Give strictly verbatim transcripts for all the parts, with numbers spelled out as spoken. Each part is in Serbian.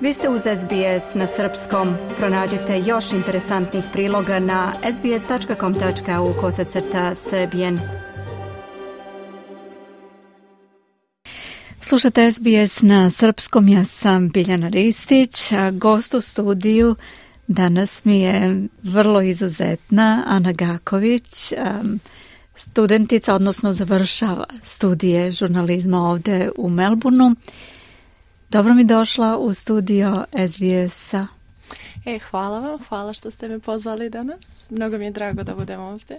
Vi ste uz S B S na srpskom. Pronađite još interesantnih priloga na sbs tačka com tačka au kosacrta srbijen. Slušate S B S na srpskom, ja sam Biljana Ristić, a gost u studiju danas mi je vrlo izuzetna Ana Gaković, um, studentica, odnosno završava studije žurnalizma ovde u Melbourneu. Dobro mi došla u studio S B S-a. E, hvala vam, hvala što ste me pozvali danas. Mnogo mi je drago da budem ovdje.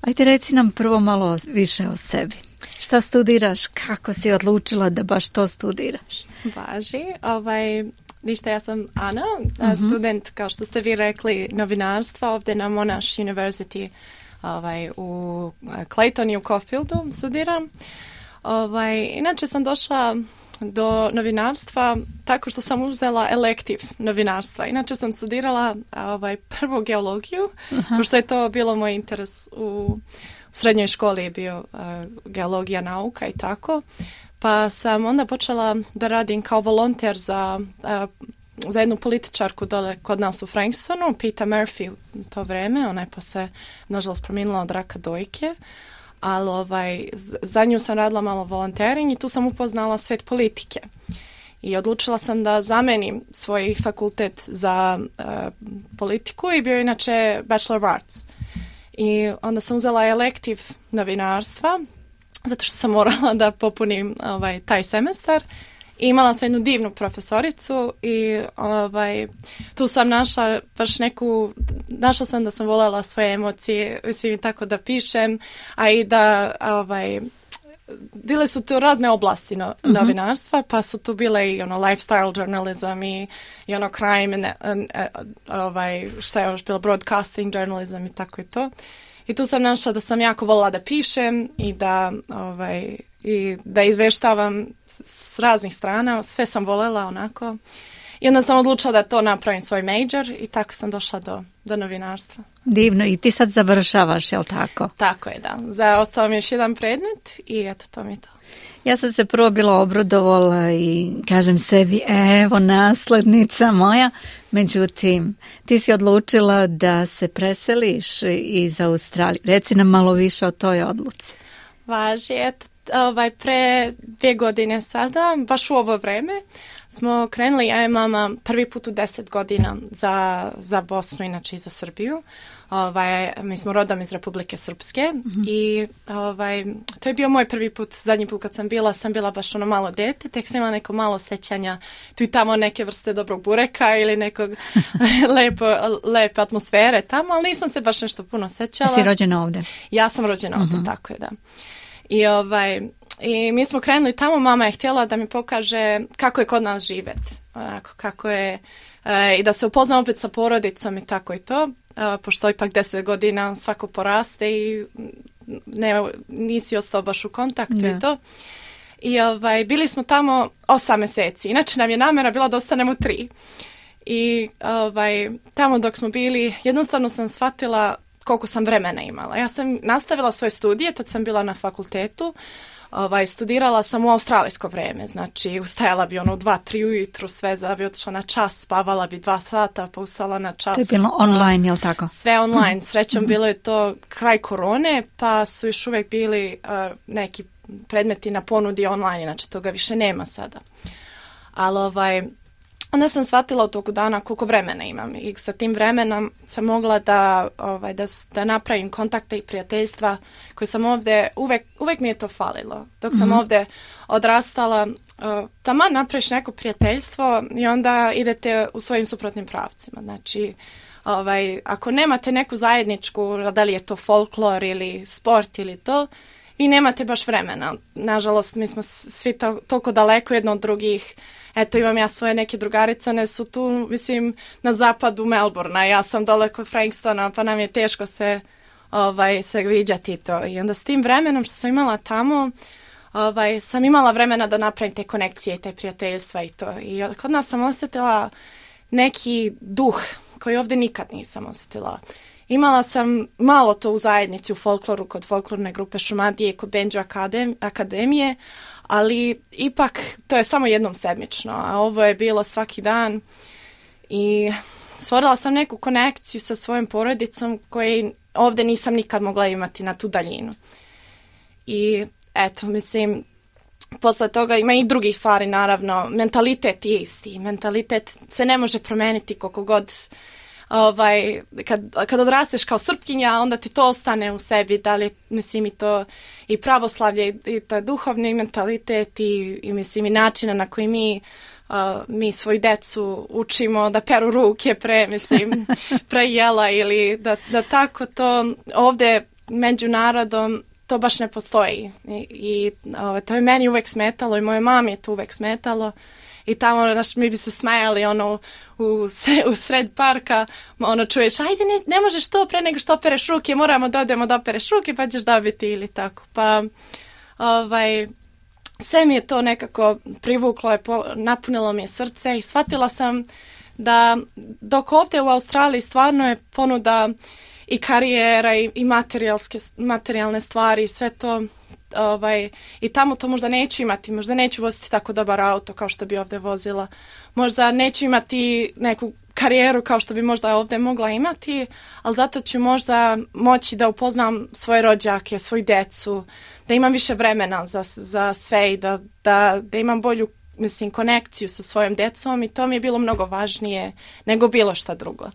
Ajde, reci nam prvo malo više o sebi. Šta studiraš? Kako si odlučila da baš to studiraš? Važi. Ovaj, ništa, ja sam Ana, uh-huh. student, kao što ste vi rekli, novinarstva ovdje na Monash University ovaj, u Claytonu i u Caulfieldu studiram. Ovaj, inače sam došla do novinarstva tako što sam uzela elektiv novinarstva. Inače sam studirala ovaj, prvu geologiju, uh-huh. pošto je to bilo moj interes u srednjoj školi je bio uh, geologija nauka i tako. Pa sam onda počela da radim kao volonter za, uh, za jednu političarku dole kod nas u Frankstonu, Peta Murphy u to vreme. Ona je posle, nažalost, prominila od raka dojke. Ali ovaj, za nju sam radila malo volontering i tu sam upoznala svet politike. I odlučila sam da zamenim svoj fakultet za uh, politiku i bio je inače Bachelor of Arts. I onda sam uzela elektiv novinarstva, zato što sam morala da popunim ovaj, taj semestar. I imala sam jednu divnu profesoricu i ovaj, tu sam našla baš neku, našla sam da sam voljela svoje emocije, mislim tako da pišem, a i da, ovaj, bile su tu razne oblasti no, uh-huh. novinarstva, pa su tu bile i ono lifestyle journalism i, i ono crime, and, and, and, ovaj, šta je još bilo, broadcasting journalism i tako i to. I tu sam našla da sam jako voljela da pišem i da, ovaj, i da izveštavam s, s raznih strana. Sve sam voljela onako. I onda sam odlučila da to napravim svoj major i tako sam došla do, do novinarstva. Divno. I ti sad završavaš, jel tako? Tako je, da. Za ostalo mi još jedan predmet i eto, to mi je to. Ja sam se prvo bila obradovala i kažem sebi, evo naslednica moja. Međutim, ti si odlučila da se preseliš iz Australije. Reci nam malo više o toj odluci. Važi, eto, ovaj, pre dvije godine sada, baš u ovo vreme, smo krenuli, ja i mama, prvi put u deset godina za, za Bosnu, inače i za Srbiju. Ovaj, mi smo rodom iz Republike Srpske mm-hmm. i ovaj, to je bio moj prvi put, zadnji put kad sam bila, sam bila baš ono malo dete, tek sam imala neko malo sećanja, tu i tamo neke vrste dobrog bureka ili nekog lepo, lepe atmosfere tamo, ali nisam se baš nešto puno sećala. Si rođena ovdje? Ja sam rođena ovdje, mm-hmm. tako je, da. I ovaj... I mi smo krenuli tamo, mama je htjela da mi pokaže kako je kod nas živjeti, onako, kako je, e, i da se upoznam opet sa porodicom i tako i to, e, pošto ipak deset godina svako poraste i ne, nisi ostao baš u kontaktu ne. I to. I ovaj, bili smo tamo osam mjeseci, inače nam je namjera bila da ostanemo tri. I ovaj, tamo dok smo bili, jednostavno sam shvatila koliko sam vremena imala. Ja sam nastavila svoje studije, tad sam bila na fakultetu. Ovaj, studirala sam u australijsko vrijeme, znači ustajala bi ono u dva, tri ujutru, sve da bi otišla na čas, spavala bi dva sata, pa ustala na čas. To je bilo online, jel tako? Sve online, srećom bilo je to kraj korone, pa su još uvijek bili uh, neki predmeti na ponudi online, znači toga više nema sada. Ali ovaj... Onda sam shvatila u toku dana koliko vremena imam i sa tim vremenom sam mogla da, ovaj, da, da napravim kontakte i prijateljstva koje sam ovdje, uvek, uvek mi je to falilo. Dok sam mm-hmm. ovdje odrastala, uh, taman napraviš neko prijateljstvo i onda idete u svojim suprotnim pravcima. Znači, ovaj, ako nemate neku zajedničku, da li je to folklor ili sport ili to, vi nemate baš vremena. Nažalost, mi smo svi to, toliko daleko jedno od drugih. Eto, imam ja svoje neke drugarice, one su tu, mislim, na zapadu Melbournea, ja sam dole kod Frankstona, pa nam je teško se, ovaj, se viđati to. I onda s tim vremenom što sam imala tamo, ovaj, sam imala vremena da napravim te konekcije i te prijateljstva i to. I kod nas sam osjetila neki duh koji ovdje nikad nisam osjetila. Imala sam malo to u zajednici, u folkloru, kod folklorne grupe Šumadije i kod Benđu akademije, ali ipak to je samo jednom sedmično, a ovo je bilo svaki dan i stvorila sam neku konekciju sa svojom porodicom koju ovdje nisam nikad mogla imati na tu daljinu. I eto, mislim, posle toga ima i drugih stvari, naravno. Mentalitet je isti. Mentalitet se ne može promeniti koliko god, ovaj, kad, kad odrasteš kao Srpkinja, onda ti to ostane u sebi. Da li, mislim, i to i pravoslavlje, i, i to duhovni mentalitet i, i, mislim, i načina na koji mi Uh, mi svoju decu učimo da peru ruke pre, mislim, pre jela ili da, da tako to ovdje među narodom to baš ne postoji. I, i o, to je meni uvek smetalo i moje mami je to uvek smetalo. I tamo naš, mi bi se smajali ono, u, u sred parka, ono čuješ, ajde ne, ne možeš to pre nego što opereš ruke, moramo da odemo da opereš ruke pa ćeš dobiti ili tako. Pa ovaj... sve mi je to nekako privuklo, je, napunilo mi je srce i shvatila sam da dok ovdje u Australiji stvarno je ponuda i karijera i, i materijalne stvari, sve to, ovaj, i tamo to možda neću imati, možda neću voziti tako dobar auto kao što bi ovdje vozila, možda neću imati neku karijeru kao što bi možda ovdje mogla imati, ali zato ću možda moći da upoznam svoje rođake, svoju decu, da imam više vremena za, za sve i da, da, da imam bolju, mislim, konekciju sa svojom decom i to mi je bilo mnogo važnije nego bilo šta drugo.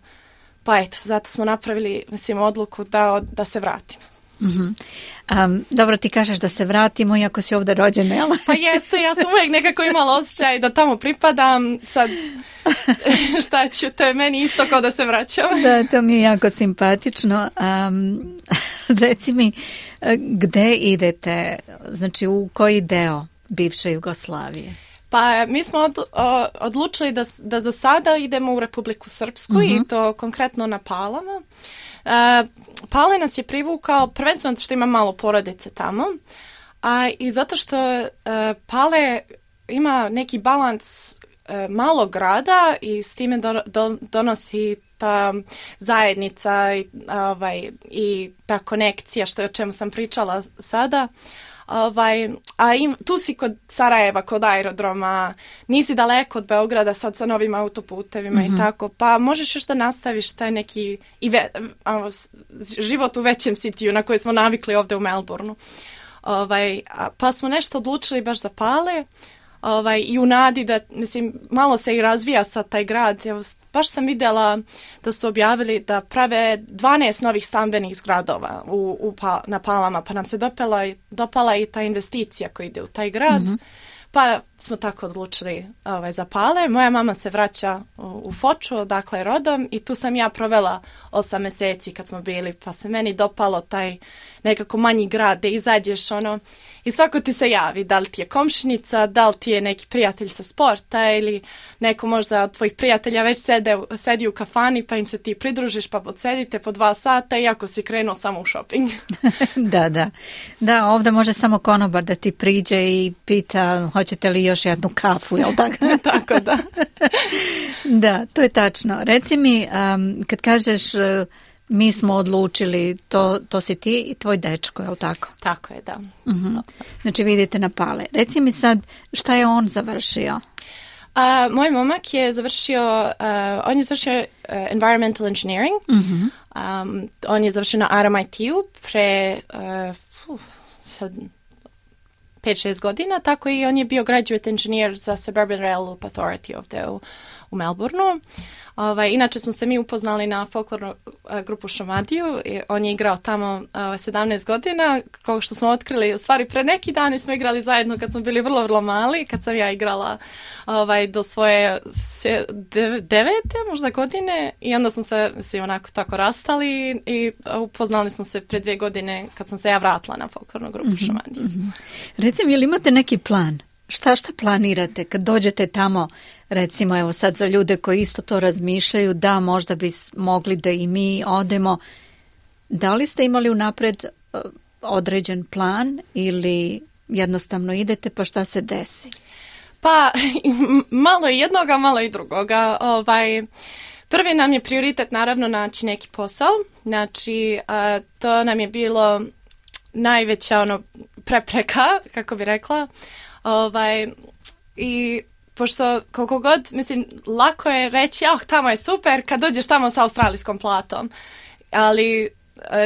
Pa eto, zato smo napravili, mislim, odluku da, da se vratim. Mm-hmm. Um, dobro, ti kažeš da se vratimo iako si ovdje rođena, jel? Pa jeste, ja sam uvijek nekako imala osjećaj da tamo pripadam, sad šta ću, to je meni isto kao da se vraćam. Da, to mi je jako simpatično. Um, reci mi, gde idete, znači u koji deo bivše Jugoslavije? Pa mi smo od, o, odlučili da, da za sada idemo u Republiku Srpsku, mm-hmm. i to konkretno na Palama. Uh, Pale nas je privukao prvenstveno što ima malo porodice tamo, a i zato što uh, Pale ima neki balans uh, malog grada i s time do, do, donosi ta zajednica i, ovaj, i ta konekcija što je o čemu sam pričala sada. Ovaj, a im, tu si kod Sarajeva, kod aerodroma, nisi daleko od Beograda sad sa novim autoputevima, mm-hmm. i tako, pa možeš još da nastaviš taj neki i ve, a, život u većem sitiju na koji smo navikli ovdje u Melbourneu. Ovaj, a, pa smo nešto odlučili baš za Pale, ovaj, i u nadi da, mislim, malo se i razvija sad taj grad. Evo, baš sam vidjela da su objavili da prave dvanaest novih stambenih zgradova u, u pa, na Palama, pa nam se dopala, dopala i ta investicija koja ide u taj grad. Mm-hmm. Pa smo tako odlučili ovaj, za Pale. Moja mama se vraća u, u Foču, odakle je rodom, i tu sam ja provela osam mjeseci kad smo bili, pa se meni dopalo taj nekako manji grad gdje izađeš ono i svako ti se javi, da li ti je komšinica, da li ti je neki prijatelj sa sporta ili neko možda od tvojih prijatelja već sede, sedi u kafani pa im se ti pridružiš pa podsedite po dva sata iako si krenuo samo u shopping. Da, da. Da, ovdje može samo konobar da ti priđe i pita hoćete li još jednu kafu, jel tako? Tako, da. Da, to je tačno. Reci mi, um, kad kažeš uh, mi smo odlučili, to, to si ti i tvoj dečko, je li tako? Tako je, da. Uh-huh. Znači vidite na Pale. Reci mi sad, šta je on završio? Uh, moj momak je završio, uh, on je završio uh, environmental engineering. Uh-huh. Um, on je završio na R M I T-u pre uh, uh, sad pet šest godina, tako i on je bio graduate engineer za Suburban Rail Loop Authority ovdje u, u Melbourneu. Ovaj, inače smo se mi upoznali na folklornu uh, grupu Šumadiju i on je igrao tamo uh, sedamnaest godina, kao što smo otkrili, u stvari pre neki dan smo igrali zajedno kad smo bili vrlo, vrlo mali, kad sam ja igrala ovaj, do svoje se, de, devete možda godine i onda smo se mislim, onako tako rastali i upoznali smo se pre dvije godine kad sam se ja vratila na folklornu grupu mm-hmm, Šumadiju. Mm-hmm. Recimo, ili imate neki plan? Šta šta planirate kad dođete tamo, recimo evo sad za ljude koji isto to razmišljaju, da možda bi mogli da i mi odemo, da li ste imali unapred uh, određen plan ili jednostavno idete pa šta se desi? Pa malo i jednoga, malo i drugoga. Ovaj, prvi nam je prioritet naravno naći neki posao, znači uh, to nam je bilo najveća ono prepreka, kako bi rekla. Ovaj, i pošto koliko god, mislim, lako je reći, ah, tamo je super kad dođeš tamo sa australijskom platom. Ali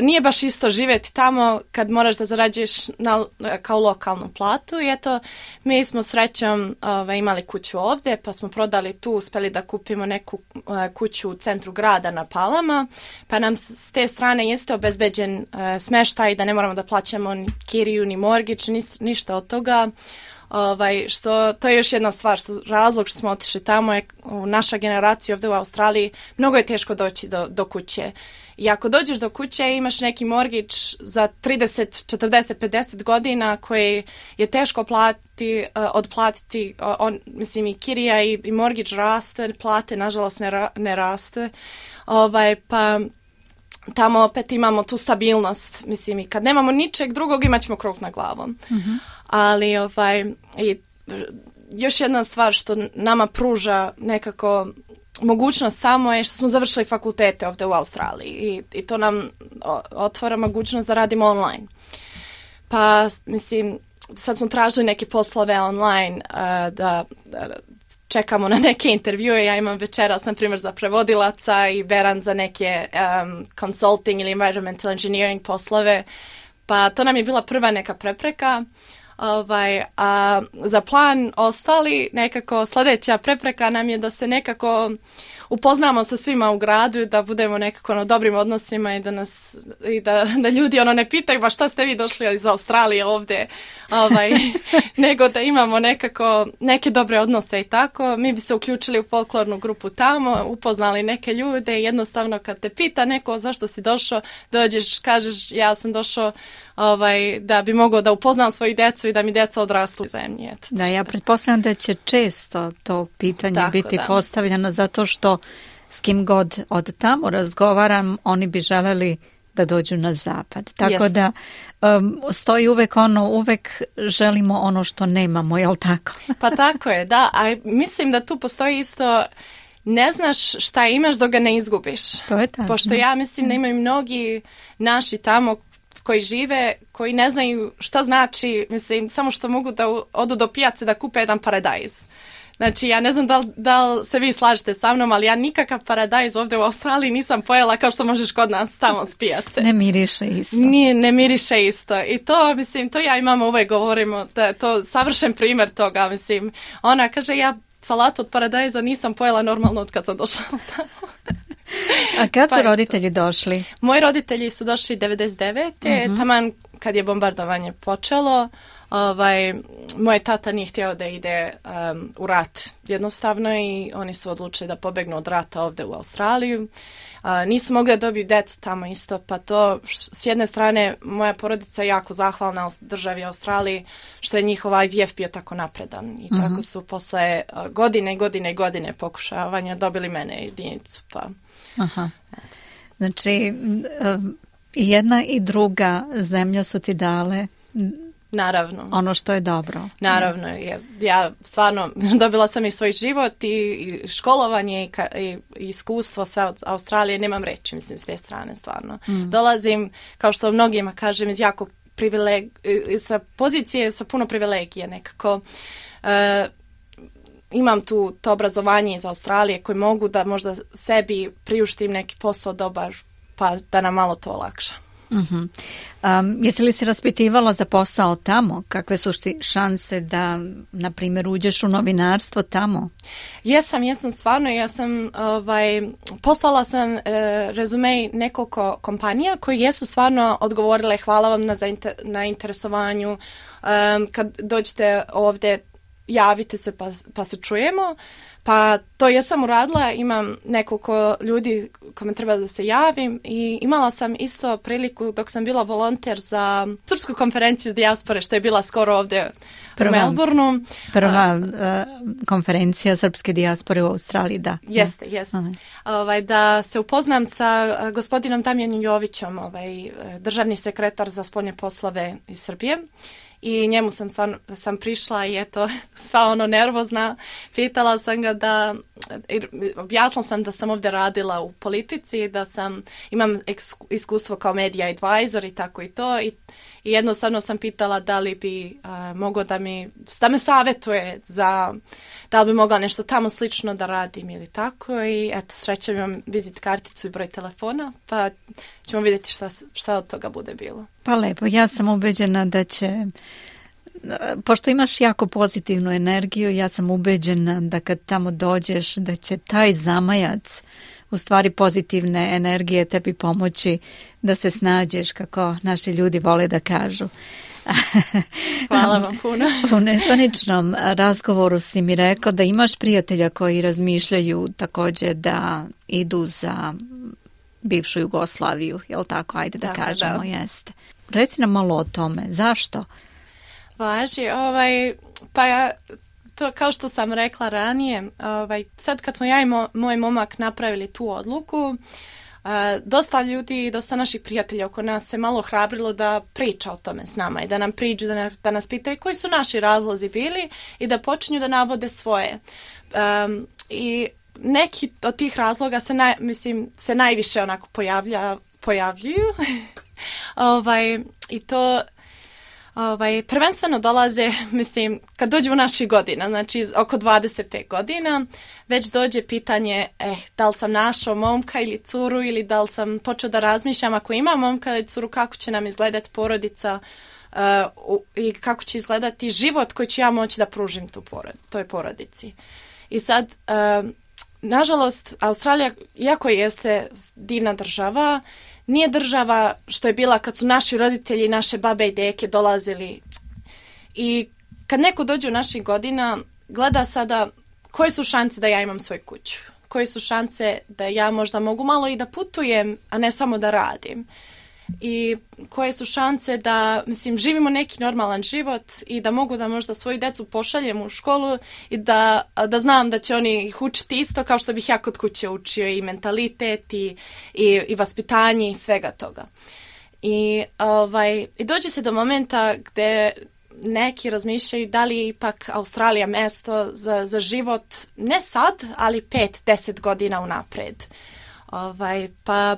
nije baš isto živjeti tamo kad moraš da zarađuješ na, kao lokalnu platu. I eto, mi smo srećom ovaj, imali kuću ovdje, pa smo prodali tu, uspjeli da kupimo neku uh, kuću u centru grada na Palama, pa nam s te strane jeste obezbeđen uh, smeštaj, da ne moramo da plaćamo ni kiriju, ni mortgage, ni, ništa od toga. Ovaj, što, to je još jedna stvar, što razlog što smo otišli tamo je u naša generacija ovdje u Australiji, mnogo je teško doći do, do kuće. I ako dođeš do kuće i imaš neki mortgage za trideset, četrdeset, pedeset godina koji je teško platiti, uh, odplatiti, uh, on, mislim i kirija i, i mortgage raste, plate nažalost ne, ra, ne raste, ovaj, pa tamo opet imamo tu stabilnost, mislim i kad nemamo ničeg drugog imat ćemo krov nad glavom. Mm-hmm. Ali ovaj, i još jedna stvar što nama pruža nekako mogućnost tamo je što smo završili fakultete ovdje u Australiji i, i to nam otvara mogućnost da radimo online. Pa mislim, sad smo tražili neke poslove online uh, da, da čekamo na neke intervjue. Ja imam večera, sam primjer za prevodilaca i Beran za neke um, consulting ili environmental engineering poslove. Pa to nam je bila prva neka prepreka. Ovaj, a za plan ostali nekako sljedeća prepreka nam je da se nekako upoznamo sa svima u gradu, da budemo nekako na dobrim odnosima i da nas i da, da ljudi ono ne pitaju ba šta ste vi došli iz Australije ovdje, ovaj, nego da imamo nekako neke dobre odnose i tako. Mi bi se uključili u folklornu grupu tamo, upoznali neke ljude i jednostavno kad te pita neko zašto si došao, dođeš, kažeš ja sam došao ovaj, da bi mogao da upoznam svoju djecu i da mi djeca odrastu u zemlji. Eto, da, ja pretpostavljam da će često to pitanje tako, biti da. postavljeno zato što s kim god od tamo razgovaram, oni bi želeli da dođu na zapad. Tako yes. da um, stoji uvek ono, uvek želimo ono što nemamo, je li tako? Pa tako je, da. A mislim da tu postoji isto, ne znaš šta imaš dok ga ne izgubiš. To je tako. Pošto ja mislim da imaju mnogi naši tamo koji žive, koji ne znaju šta znači, mislim, samo što mogu da odu do pijace da kupe jedan paradajz. Znači, ja ne znam da li, da li se vi slažete sa mnom, ali ja nikakav paradajz ovdje u Australiji nisam pojela kao što možeš kod nas tamo s pijace. Ne miriše isto. Nije, ne miriše isto. I to, mislim, to ja i mama uvek govorimo, da je to savršen primjer toga, mislim. Ona kaže, ja salatu od paradajza nisam pojela normalno od kad sam došla tamo. A kad su pa roditelji došli? Moji roditelji su došli devedeset devete Uh-huh. taman kad je bombardovanje počelo. Ovaj, moj tata nije htio da ide um, u rat jednostavno i oni su odlučili da pobegnu od rata ovdje u Australiju. Uh, nisu mogli da dobiju djecu tamo isto, pa to s jedne strane moja porodica je jako zahvalna državi Australiji što je njihov I V F bio tako napredan i uh-huh. tako su posle uh, godine i godine i godine pokušavanja dobili mene jedinicu. Pa. Aha. Znači i jedna i druga zemlja su ti dale naravno ono što je dobro. Naravno, ja, ja stvarno dobila sam i svoj život i, i školovanje i, ka, i, i iskustvo sa Australije, nemam reći, mislim, s te strane stvarno. Mm. Dolazim, kao što mnogima kažem, iz jako privileg, sa pozicije sa puno privilegije nekako. Uh, imam tu to obrazovanje iz Australije koje mogu da možda sebi priuštim neki posao dobar, pa da nam malo to olakša. Uh-huh. Um, jesi li se raspitivala za posao tamo? Kakve su ti šanse da, na primjer, uđeš u novinarstvo tamo? Jesam, jesam stvarno. Ja sam, ovaj, poslala sam e, rezume nekoliko kompanija koji jesu stvarno odgovorile hvala vam na, zainter, na interesovanju. Um, kad dođete ovdje, javite se pa, pa se čujemo. Pa to jesam uradila, imam nekoliko ljudi kome treba da se javim i imala sam isto priliku dok sam bila volonter za srpsku konferenciju dijaspore što je bila skoro ovdje prva, u Melbourneu. Prva uh, konferencija srpske dijaspore u Australiji, da. Jeste, jeste. Uh-huh. Ovaj, da se upoznam sa uh, gospodinom Damjanom Jovićem, ovaj, državni sekretar za spoljne poslove iz Srbije. I njemu sam, stvarno, sam prišla i eto, sva ono nervozna, pitala sam ga da objasnila sam da sam ovdje radila u politici, da sam, imam iskustvo kao media advisor i tako i to i, i jednostavno sam pitala da li bi uh, mogao da mi, da me savjetuje za, da li bi mogla nešto tamo slično da radim ili tako i eto, srećem imam vizit karticu i broj telefona, pa ćemo vidjeti šta, šta od toga bude bilo. Pa lepo, ja sam ubeđena da će, pošto imaš jako pozitivnu energiju, ja sam ubeđena da kad tamo dođeš da će taj zamajac u stvari pozitivne energije tebi pomoći da se snađeš, kako naši ljudi vole da kažu. Hvala vam puno. U nezvaničnom razgovoru si mi rekao da imaš prijatelja koji razmišljaju također da idu za bivšu Jugoslaviju, jel tako? Ajde da tako, kažemo, da. Jeste. Reci nam malo o tome. Zašto? Važi, ovaj, pa ja, to kao što sam rekla ranije, ovaj, sad kad smo ja i mo, moj momak napravili tu odluku, uh, dosta ljudi, dosta naših prijatelja oko nas se malo hrabrilo da priča o tome s nama i da nam priđu, da, ne, da nas pitaju koji su naši razlozi bili i da počinju da navode svoje. Um, I neki od tih razloga se, naj, mislim, se najviše onako pojavlja, pojavljuju. ovaj, I to... Ovaj, prvenstveno dolaze, mislim, kad dođu u naših godina, znači oko dvadeset pet godina, već dođe pitanje, eh, da li sam našao momka ili curu ili da li sam počeo da razmišljam ako imam momka ili curu, kako će nam izgledati porodica uh, u, i kako će izgledati život koji ću ja moći da pružim tu porod, toj porodici. I sad, uh, nažalost, Australija, iako jeste divna država, nije država što je bila kad su naši roditelji, naše babe i deke dolazili. I kad neko dođe u naših godina, gleda sada koje su šanse da ja imam svoju kuću. Koje su šanse da ja možda mogu malo i da putujem, a ne samo da radim. I koje su šanse da, mislim, živimo neki normalan život i da mogu da možda svoju decu pošaljem u školu i da, da znam da će oni ih učiti isto kao što bih ja kod kuće učio i mentalitet i, i, i vaspitanje i svega toga. I, ovaj, i dođe se do momenta gde neki razmišljaju da li je ipak Australija mesto za, za život ne sad, ali pet, deset godina unapred. Ovaj, pa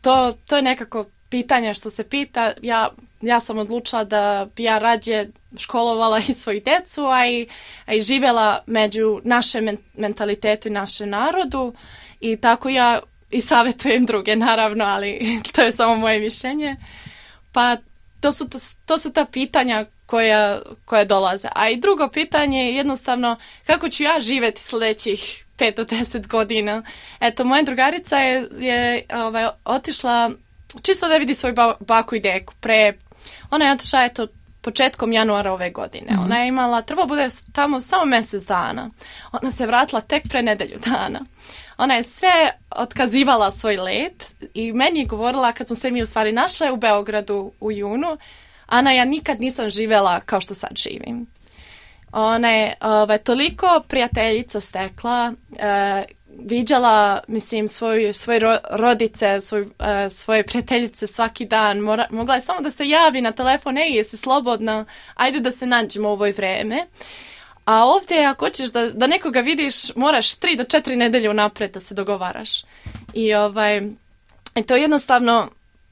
to, to je nekako pitanje što se pita. Ja, ja sam odlučila da bi ja rađe školovala i svoju decu, a i, a i živjela među našem men, mentalitetu i našem narodu i tako ja i savjetujem druge, naravno, ali to je samo moje mišljenje. Pa to su, to, to su ta pitanja koja, koja dolaze. A i drugo pitanje je jednostavno kako ću ja živjeti sljedećih pet do deset godina. Eto, moja drugarica je, je ovaj, otišla čisto da vidi svoju baku i deku. Pre, ona je otišla eto, početkom januara ove godine. Mm-hmm. Ona je imala, treba bude tamo samo mjesec dana. Ona se vratila tek pre nedelju dana. Ona je sve otkazivala svoj let i meni je govorila kad smo se mi u stvari našle u Beogradu u junu, Ana, ja nikad nisam živjela kao što sad živim. Ona je ovaj, toliko prijateljica stekla, eh, viđala, mislim, svoju, svoje ro, rodice, svoj, uh, svoje prijateljice svaki dan. Mora, mogla je samo da se javi na telefon, ej, jesi slobodna, ajde da se nađemo u ovoj vreme. A ovdje, ako hoćeš da, da nekoga vidiš, moraš tri do četiri nedelje unapred da se dogovaraš. I ovaj, to jednostavno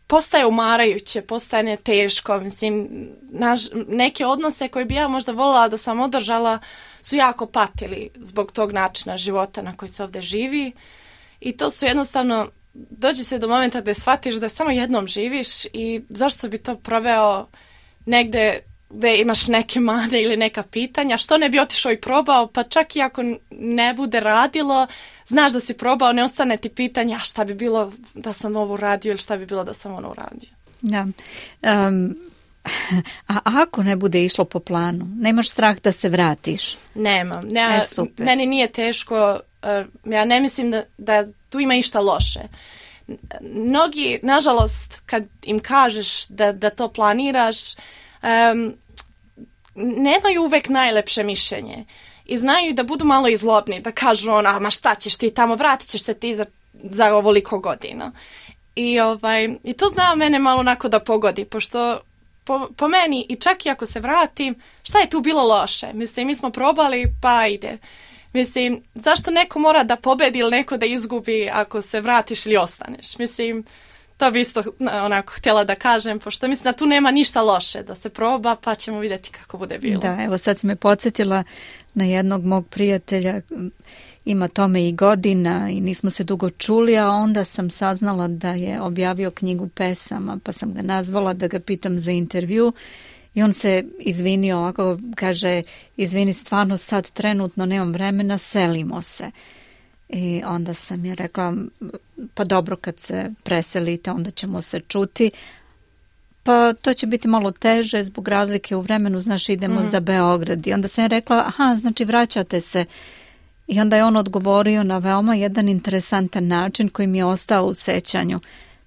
postaje umarajuće, postaje teško. Mislim, naš, neke odnose koje bi ja možda voljela da sam održala su jako patili zbog tog načina života na koji se ovdje živi. I to su jednostavno, dođe se do momenta gdje shvatiš da samo jednom živiš i zašto bi to proveo negdje gdje imaš neke mane ili neka pitanja, što ne bi otišao i probao, pa čak i ako ne bude radilo, znaš da si probao, ne ostane ti pitanja šta bi bilo da sam ovo uradio ili šta bi bilo da sam ono uradio. Da. Um, a ako ne bude išlo po planu, nemaš strah da se vratiš? Nemam. Ne, e, super. Meni nije teško, uh, ja ne mislim da, da tu ima išta loše. Mnogi, nažalost, kad im kažeš da, da to planiraš, um, nemaju uvek najlepše mišljenje i znaju da budu malo izlobni, da kažu ona, ma šta ćeš ti tamo, vratit ćeš se ti za, za ovoliko godina. I, ovaj, i to zna mene malo onako da pogodi, pošto po, po meni i čak i ako se vratim, šta je tu bilo loše? Mislim, mi smo probali, pa ide. Mislim, zašto neko mora da pobedi ili neko da izgubi ako se vratiš ili ostaneš? Mislim, to bi isto onako htjela da kažem, pošto mislim da tu nema ništa loše, da se proba pa ćemo vidjeti kako bude bilo. Da, evo sad si me podsjetila na jednog mog prijatelja, ima tome i godina i nismo se dugo čuli, a onda sam saznala da je objavio knjigu pesama, pa sam ga nazvala da ga pitam za intervju i on se izvinio, ovako kaže, izvini, stvarno sad trenutno nemam vremena, selimo se. I onda sam je rekla, pa dobro, kad se preselite onda ćemo se čuti. Pa to će biti malo teže zbog razlike u vremenu, znaš, idemo mm. za Beograd. I onda sam je rekla, aha, znači vraćate se. I onda je on odgovorio na veoma jedan interesantan način koji mi je ostao u sećanju.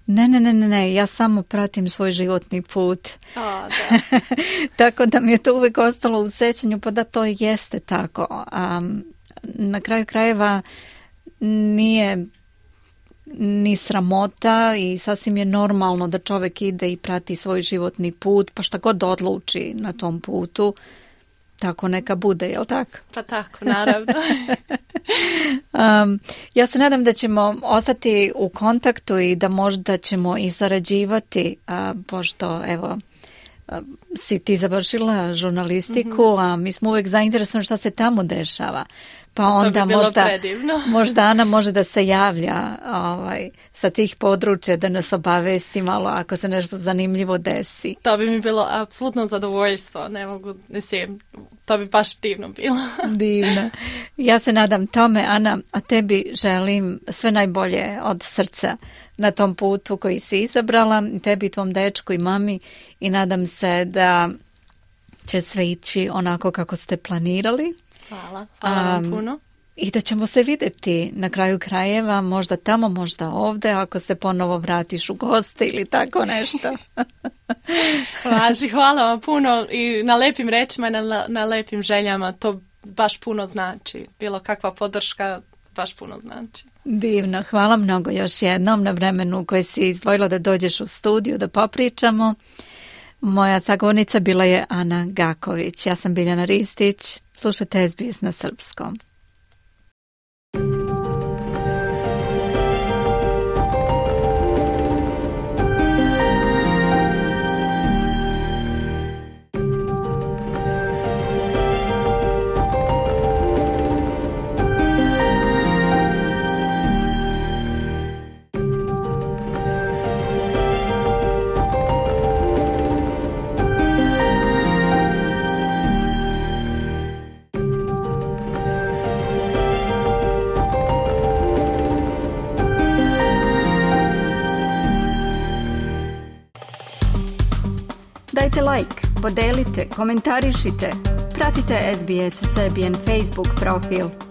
Ne, ne, ne, ne, ne, ja samo pratim svoj životni put. O, da. Tako da mi je to uvijek ostalo u sećanju, pa da to jeste tako. Um, na kraju krajeva nije ni sramota i sasvim je normalno da čovjek ide i prati svoj životni put, pa šta god odluči na tom putu, tako neka bude, jel tako? Pa tako, naravno. um, ja se nadam da ćemo ostati u kontaktu i da možda ćemo i sarađivati, a, pošto evo a, si ti završila žurnalistiku, mm-hmm. a mi smo uvijek zainteresovani šta se tamo dešava. Pa onda bi možda, možda Ana može da se javlja ovaj, sa tih područja da nas obavesti malo ako se nešto zanimljivo desi. To bi mi bilo apsolutno zadovoljstvo. Ne mogu, mislim, to bi baš divno bilo. Divno. Ja se nadam tome, Ana, a tebi želim sve najbolje od srca na tom putu koji si izabrala, tebi, tvom dečku i mami, i nadam se da će sve ići onako kako ste planirali. Hvala, hvala vam um, puno. I da ćemo se vidjeti na kraju krajeva, možda tamo, možda ovdje, ako se ponovo vratiš u goste ili tako nešto. Važi, hvala vam puno i na lepim rečima i na, na lepim željama, to baš puno znači. Bilo kakva podrška baš puno znači. Divno, hvala mnogo još jednom na vremenu koje si izdvojila da dođeš u studiju da popričamo. Moja sagovornica bila je Ana Gaković. Ja sam Biljana Ristić. Slušajte S B S na srpskom. Dajte like, podelite, komentarišite, pratite S B S Serbian Facebook profil.